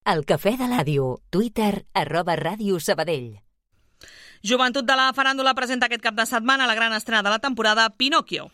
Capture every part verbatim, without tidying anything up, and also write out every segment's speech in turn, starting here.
El Cafè de l'Àdio. Twitter, arroba Ràdio Sabadell. Joventut de la Faràndula presenta aquest cap de setmana la gran estrena de la temporada, Pinocchio.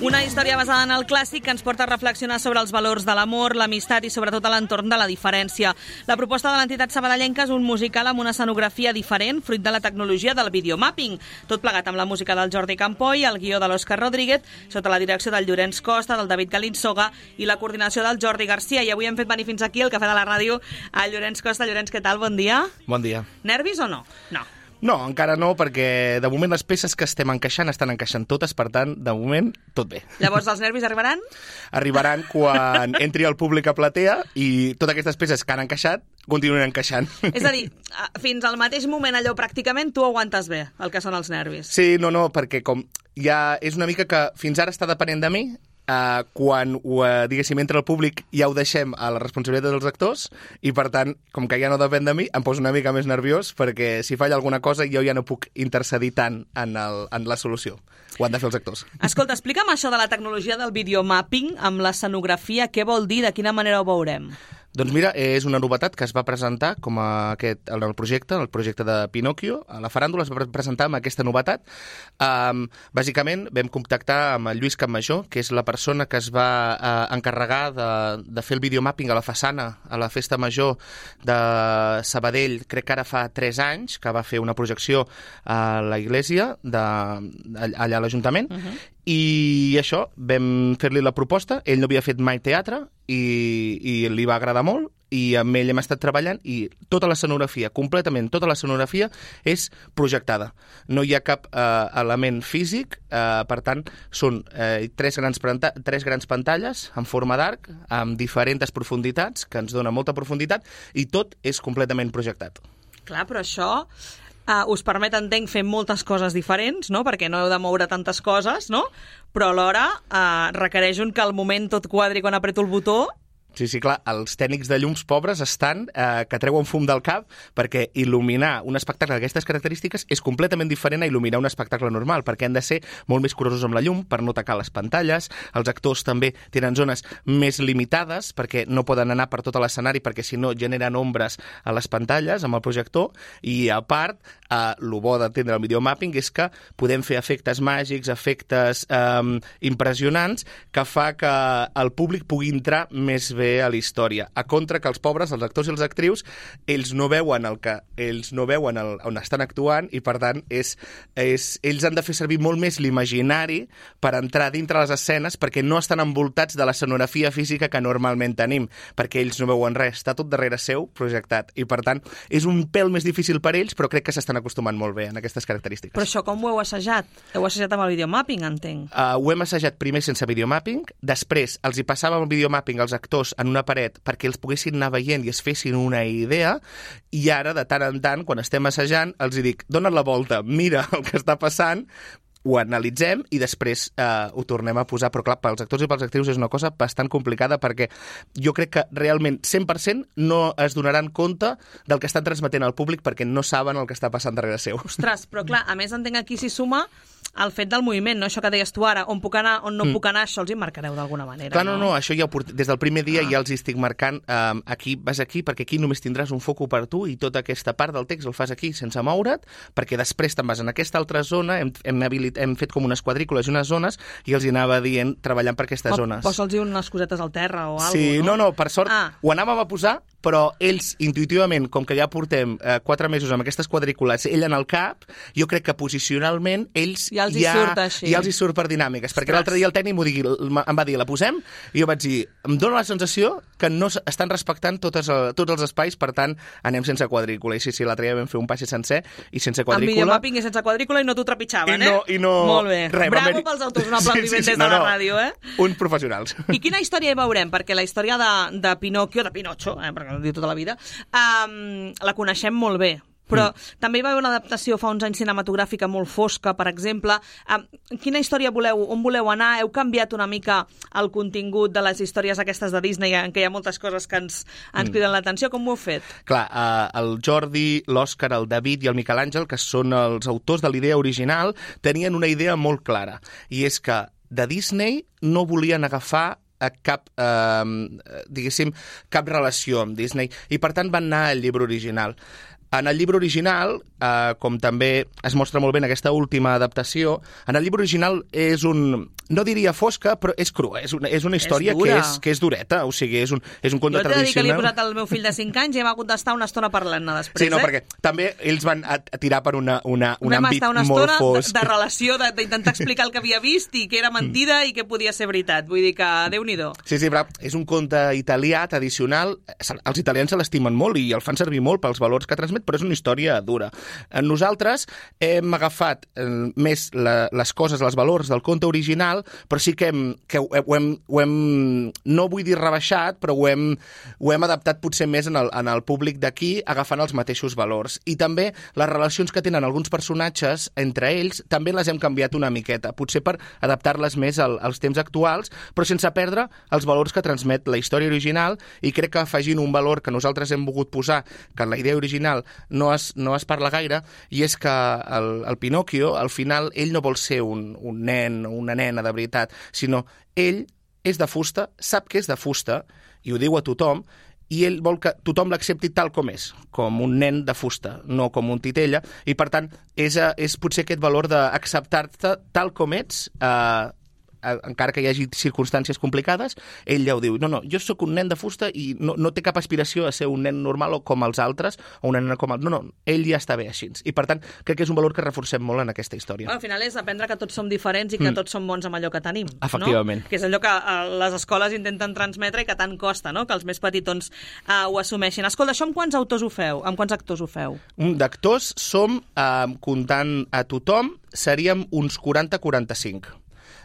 Una història basada en el clàssic que ens porta a reflexionar sobre els valors de l'amor, l'amistat i sobretot a l'entorn de la diferència. La proposta de l'entitat sabadellenca és un musical amb una escenografia diferent, fruit de la tecnologia del videomapping. Tot plegat amb la música del Jordi Campoy, el guió de l'Òscar Rodríguez, sota la direcció del Llorenç Costa, del David Galinsoga i la coordinació del Jordi Garcia. I avui hem fet venir fins aquí, al Cafè de la Ràdio, al Llorenç Costa. Llorenç, què tal? Bon dia. Bon dia. Nervis o no? No. No, encara no, perquè de moment les peces que estem encaixant estan encaixant totes, per tant, de moment, tot bé. Llavors, els nervis arribaran? Arribaran quan entri el públic a platea i totes aquestes peces que han encaixat continuen encaixant. És a dir, fins al mateix moment allò pràcticament tu aguantes bé el que són els nervis. Sí, no, no, perquè com ja és una mica que fins ara està depenent de mi, Uh, quan, uh, diguéssim, entra el públic ja ho deixem a la responsabilitat dels actors i, per tant, com que ja no depèn de mi, em poso una mica més nerviós perquè si falla alguna cosa jo ja no puc intercedir tant en, el, en la solució. Ho han de fer els actors. Escolta, explica'm això de la tecnologia del videomapping amb l'escenografia. Què vol dir? De quina manera ho veurem? Doncs mira, és una novetat que es va presentar com a aquest, en el projecte, el projecte de Pinocchio. A la Faràndula es va presentar amb aquesta novetat. Um, bàsicament vam contactar amb el Lluís Campmajor, que és la persona que es va uh, encarregar de, de fer el videomapping a la façana, a la Festa Major de Sabadell, crec que ara fa tres anys, que va fer una projecció a la iglesia, de, allà a l'Ajuntament, uh-huh. I això, vam fer-li la proposta, ell no havia fet mai teatre i, i li va agradar molt i amb ell hem estat treballant i tota l'escenografia, completament tota l'escenografia és projectada. No hi ha cap eh, element físic, eh, per tant, són eh, tres, grans tres grans pantalles en forma d'arc, amb diferents profunditats, que ens dona molta profunditat, i tot és completament projectat. Clar, però això... Uh, us permet, entenc, fer moltes coses diferents, no? Perquè no heu de moure tantes coses, no? Però alhora uh, requereix un que al moment tot quadri quan apreto el botó. Sí, sí, clar, els tècnics de llums pobres estan eh, que treuen fum del cap perquè il·luminar un espectacle d'aquestes característiques és completament diferent a il·luminar un espectacle normal, perquè han de ser molt més curosos amb la llum per no tacar les pantalles. Els actors també tenen zones més limitades perquè no poden anar per tot l'escenari perquè si no generen ombres a les pantalles amb el projector i a part, eh, el bo d'entendre el videomapping és que podem fer efectes màgics, efectes eh, impressionants que fa que el públic pugui entrar més bé a la història. A contra que els pobres, els actors i les actrius, ells no veuen el que ells no veuen el, on estan actuant i per tant és, és, ells han de fer servir molt més l'imaginari per entrar dintre les escenes perquè no estan envoltats de l'escenografia física que normalment tenim, perquè ells no veuen res, està tot darrere seu projectat i per tant és un pèl més difícil per ells però crec que s'estan acostumant molt bé en aquestes característiques. Però això com ho heu assajat? Heu assajat amb el videomapping, entenc? Uh, ho hem assajat primer sense videomapping, després els hi passàvem el videomapping als actors en una paret perquè els poguessin anar veient i es fessin una idea i ara, de tant en tant, quan estem assajant, els hi dic, dona't la volta, mira el que està passant, ho analitzem i després eh, ho tornem a posar. Però clar, pels actors i pels actrius és una cosa bastant complicada perquè jo crec que realment cent per cent no es donaran compte del que estan transmetent al públic perquè no saben el que està passant darrere seu. Ostres, però clar, a més entenc aquí s'hi suma el fet del moviment, no? Això que deies tu ara, on puc anar, on no mm. puc anar, això els hi marcareu d'alguna manera. Clar, no, no, no això ja ho port... des del primer dia ah. ja els hi estic marcant um, aquí, vas aquí, perquè aquí només tindràs un foco per tu i tota aquesta part del text el fas aquí sense moure't, perquè després te'n vas en aquesta altra zona, hem, hem, habilit... hem fet com unes quadrícules i unes zones i els hi anava dient treballant per aquestes o, zones. Posa'ls unes cosetes al terra o alguna cosa, sí, no? no, no, per sort ah. ho anàvem a posar, però ells intuïtivament, com que ja portem eh, quatre mesos amb aquestes quadrícules, ell en el cap, jo crec que posicionalment ells ja els hi ja, surt així. Ja els hi surt per dinàmiques, perquè l'altre dia el tècnic m'ho digui, em va dir, la posem? I jo vaig dir, em dóna la sensació que no estan respectant totes, tots els espais, per tant, anem sense quadrícula. I sí, sí, l'altre dia vam fer un passi sencer i sense quadrícula. En videomapping i sense quadrícula i no t'ho trepitjaven, I no, eh? I no... Molt bé. Res, bravo haver... pels autors, un aplaudiment sí, sí, sí, des de no, la ràdio, eh? Uns professionals. I quina història hi veurem? Perquè la història de, de Pinocchio, de Pinocho, eh, perquè ho diu tota la vida, um, la coneixem molt bé. però mm. també hi va haver una adaptació fa uns anys cinematogràfica molt fosca, per exemple. Eh, quina història voleu, on voleu anar? Heu canviat una mica el contingut de les històries aquestes de Disney, en què hi ha moltes coses que ens, ens mm. criden l'atenció? Com ho heu fet? Clar, eh, el Jordi, l'Òscar, el David i el Miquel Àngel, que són els autors de l'idea original, tenien una idea molt clara, i és que de Disney no volien agafar a cap, eh, diguéssim, cap relació amb Disney, i per tant van anar al llibre original. En el llibre original, eh, com també es mostra molt bé en aquesta última adaptació, en el llibre original és un... no diria fosca, però és crua. És una, és una història és que, és, que és dureta. O sigui, és un, és un conte tradicional. Jo t'he de dir que li he posat al meu fill de cinc anys i hem hagut d'estar una estona parlant-ne després. Sí, no, eh? perquè també ells van a, a tirar per una, una, un Vam àmbit una molt fosc. De, de relació, d'intentar explicar el que havia vist i que era mentida i que podia ser veritat. Vull dir que, Déu-n'hi-do. Sí, sí, però és un conte italià tradicional. Els italians se l'estimen molt i el fan servir molt pels valors que transmet, però és una història dura. Nosaltres hem agafat eh, més la, les coses, els valors del conte original, però sí que, hem, que ho, hem, ho hem, no vull dir rebaixat, però ho hem, ho hem adaptat potser més en el, en el públic d'aquí, agafant els mateixos valors. I també les relacions que tenen alguns personatges entre ells, també les hem canviat una miqueta, potser per adaptar-les més al, als temps actuals, però sense perdre els valors que transmet la història original, i crec que afegint un valor que nosaltres hem volgut posar, que en la idea original no es, no es parla gaire, i és que el, el Pinòquio, al final, ell no vol ser un, un nen o una nena de veritat, sinó ell és de fusta, sap que és de fusta, i ho diu a tothom, i ell vol que tothom l'accepti tal com és, com un nen de fusta, no com un titella, i per tant és, és potser aquest valor d'acceptar-te tal com ets, eh, encara que hi hagi circumstàncies complicades, ell ja ho diu. No, no, jo sóc un nen de fusta i no, no té cap aspiració a ser un nen normal o com els altres, o una nena com el... No, no, ell ja està bé així. I, per tant, crec que és un valor que reforcem molt en aquesta història. Al final és aprendre que tots som diferents i que mm. tots som bons amb allò que tenim. Efectivament. No? Que és allò que uh, les escoles intenten transmetre i que tant costa, no?, que els més petitons uh, ho assumeixin. Escolta, això amb quants autors ho feu? Amb quants actors ho feu? D'actors som, uh, comptant a tothom, seríem uns quaranta a quaranta-cinc.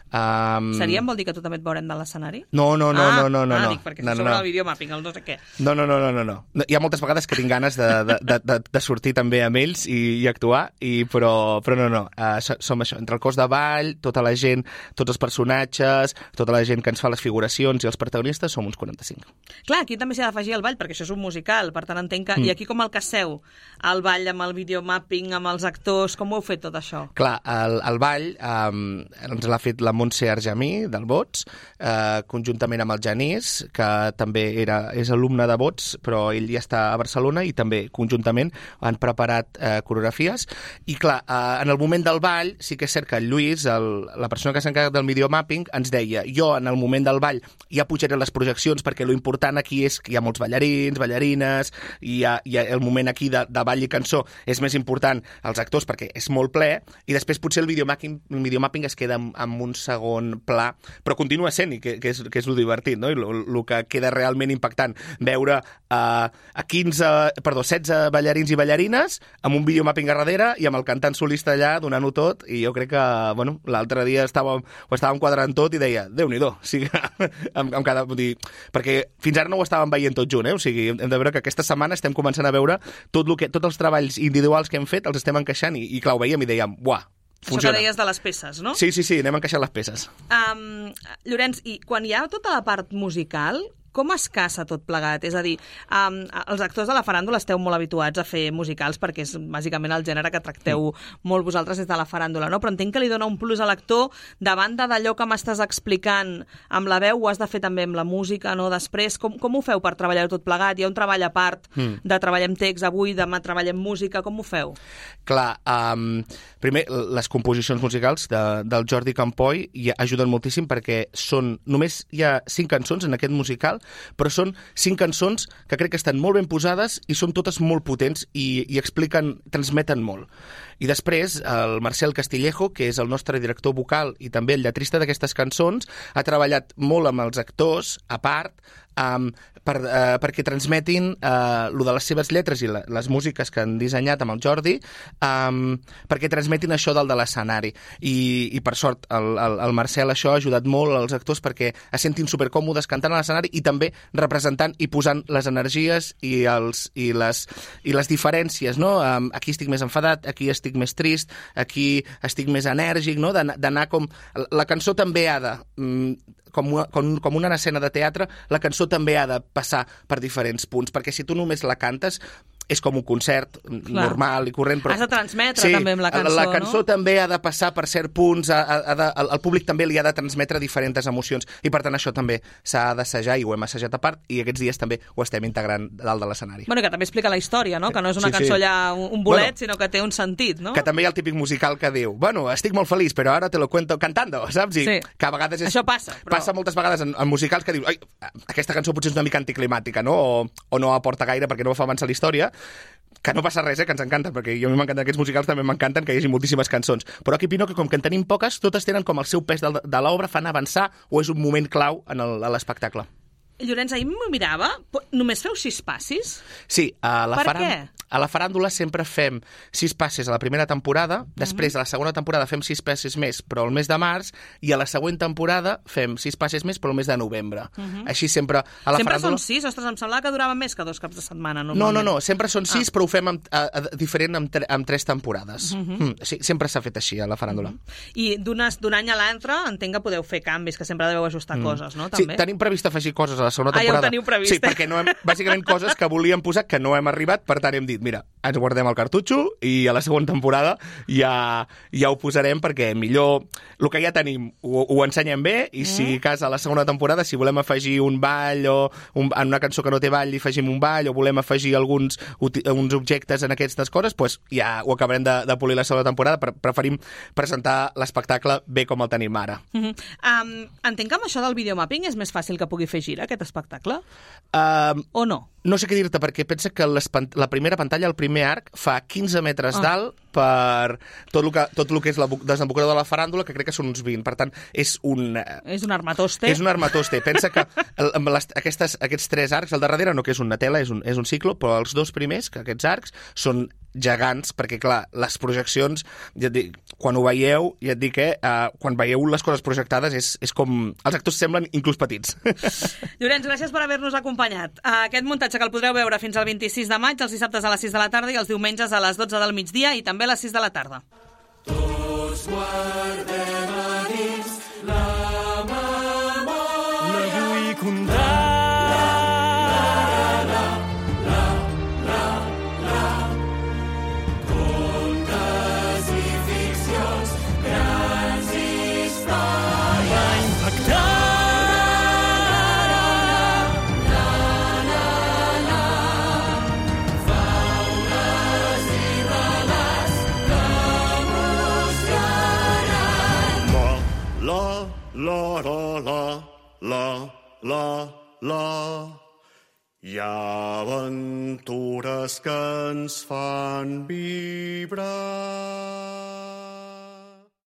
Um... Seríem vol dir que tu també et veurem de l'escenari? No, no, no, ah, no, no, no. Ah, no. dic, perquè no, no, no, sobre no. el videomapping, el no sé què. No, no, no, no, no, no. Hi ha moltes vegades que tinc ganes de, de, de, de, de sortir també amb ells i, i actuar, i, però, però no, no. Uh, som això, entre el cos de ball, tota la gent, tots els personatges, tota la gent que ens fa les figuracions i els protagonistes, som uns quaranta-cinc. Clar, aquí també s'ha d'afegir el ball, perquè això és un musical, per tant entenc que... Mm. I aquí com el caseu? El ball amb el videomapping, amb els actors, com ho heu fet tot això? Clar, el, el ball um, ens l'ha fet la Montse Argemí, del Bots, eh, conjuntament amb el Genís, que també era, és alumne de Bots, però ell ja està a Barcelona, i també conjuntament han preparat eh, coreografies. I clar, eh, en el moment del ball, sí que és cert que el Lluís, el, la persona que s'ha encarregat del videomapping, ens deia, jo en el moment del ball ja pujaré les projeccions, perquè lo important aquí és que hi ha molts ballarins, ballarines, i hi ha, hi ha el moment aquí de, de ball i cançó és més important els actors, perquè és molt ple, i després potser el videomapping, el videomapping es queda amb, amb un segon pla, però continua sent, i que, que, és, que és lo divertit, no? I el que queda realment impactant, veure uh, a quinze, perdó, setze ballarins i ballarines amb un videomapping a darrere i amb el cantant solista allà donant-ho tot, i jo crec que, bueno, l'altre dia estàvem, ho estàvem quadrant tot i deia, Déu-n'hi-do, o sigui, amb, amb cada, dir, perquè fins ara no ho estàvem veient tot junt, eh? O sigui, hem de veure que aquesta setmana estem començant a veure tot lo que, tots els treballs individuals que hem fet, els estem encaixant, i, i clar, ho veiem i dèiem, buah, funciona. Això que deies de les peces, no? Sí, sí, sí, anem encaixant les peces. Um, Llorenç, i quan hi ha tota la part musical, com es caça tot plegat? És a dir, um, els actors de la faràndula esteu molt habituats a fer musicals perquè és bàsicament el gènere que tracteu mm. molt vosaltres des de la faràndula, no? Però entenc que li dona un plus a l'actor, de banda d'allò que m'estàs explicant amb la veu, ho has de fer també amb la música, no? Després, com, com ho feu per treballar tot plegat? Hi ha un treball a part mm. de treballem text avui, demà treballem música, com ho feu? Clar, um, primer, les composicions musicals de, del Jordi Campoy hi ajuden moltíssim perquè són, només hi ha cinc cançons en aquest musical, però són cinc cançons que crec que estan molt ben posades i són totes molt potents i, i expliquen, transmeten molt. I després, el Marcel Castillejo, que és el nostre director vocal i també el lletrista d'aquestes cançons, ha treballat molt amb els actors, a part, um, per, uh, perquè transmetin uh, lo de les seves lletres i la, les músiques que han dissenyat amb el Jordi, um, perquè transmetin això del de l'escenari. I, i per sort, el, el, el Marcel això ha ajudat molt als actors perquè es sentin supercòmodes cantant a l'escenari i també representant i posant les energies i, els, i, les, i les diferències, no? Um, aquí estic més enfadat, aquí estic més trist, aquí estic més enèrgic, no? D'anar com... La cançó també ha de... Um, com, com, com una escena de teatre, la cançó també ha de passar per diferents punts, perquè si tu només la cantes és com un concert Clar. normal i corrent. Però... Has de transmetre sí, també amb la cançó, la cançó no? també ha de passar per certs punts, ha, ha de, el públic també li ha de transmetre diferents emocions, i per tant això també s'ha d'assajar, i ho hem assajat a part, i aquests dies també ho estem integrant dalt de l'escenari. Bueno, que també explica la història, no? Que no és una sí, cançó sí. allà un bolet, bueno, sinó que té un sentit, no? Que també hi ha el típic musical que diu, bueno, estic molt feliç, però ara te lo cuento cantando, saps? I sí. que a vegades és... Això passa, però... Passa moltes vegades en, en musicals que dius, ai, aquesta cançó potser és una mica anticlimàtica, no? O, o no aporta gaire perquè no fa avançar la història, que no passa res, eh, que ens encanten, perquè a mi m'encanten aquests musicals, també m'encanten que hi hagi moltíssimes cançons. Però aquí opino que com que en tenim poques, totes tenen com el seu pes de, de l'obra, fan avançar, o és un moment clau en l'espectacle. Llorenç, ahir m'ho mirava, només feu sis passis? Sí, a la, per faran... què? a la faràndula sempre fem sis passes a la primera temporada, després a la segona temporada fem sis passes més, però el mes de març, i a la següent temporada fem sis passes més, però el mes de novembre. Uh -huh. Així sempre a la sempre faràndula... són sis? Ostres, em semblava que durava més que dos caps de setmana, normalment. No, no, no, sempre són sis, ah. però ho fem amb, a, a, diferent amb, tre amb tres temporades. Uh -huh. mm, sí, sempre s'ha fet així a la faràndula. Uh -huh. I d'un any a l'altre entenc que podeu fer canvis, que sempre deveu ajustar mm. coses, no? Sí, també? tenim previst afegir coses a la segona ah, temporada. Ja ho teniu previst. Sí, perquè no hem, bàsicament coses que volíem posar que no hem arribat, per tant hem dit, mira, ens guardem el cartutxo i a la segona temporada ja, ja ho posarem perquè millor el que ja tenim ho, ho ensenyem bé i mm. si cas a la segona temporada si volem afegir un ball o un, en una cançó que no té ball hi afegim un ball o volem afegir alguns uns objectes en aquestes coses, doncs ja ho acabarem de, de polir la segona temporada, però preferim presentar l'espectacle bé com el tenim ara. Mm -hmm. um, entenc que amb això del videomapping és més fàcil que pugui fer gira aquest espectacle? Um, o no? No sé què dir-te, perquè pensa que la primera pantalla, el primer arc, fa quinze metres oh. d'alt per tot el que, tot el que és la desembocadura de la faràndula, que crec que són uns vint. Per tant, és un... És un armatoste. És un armatoste. Pensa que el, amb les, aquestes, aquests tres arcs, al darrere no que és una tela, és un, és un ciclo, però els dos primers, que aquests arcs, són gegants, perquè, clar, les projeccions, ja et dic, quan ho veieu, ja et dic que eh, uh, quan veieu les coses projectades és, és com... Els actors semblen inclús petits. Llorenç, gràcies per haver-nos acompanyat. Aquest muntatge que el podreu veure fins al vint-i-sis de maig, els dissabtes a les sis de la tarda i els diumenges a les dotze del migdia i també a les sis de la tarda. Tots guardem a dins la memòria. La vull contar. La, la, la, la, la, la. Hi ha aventures que ens fan vibrar.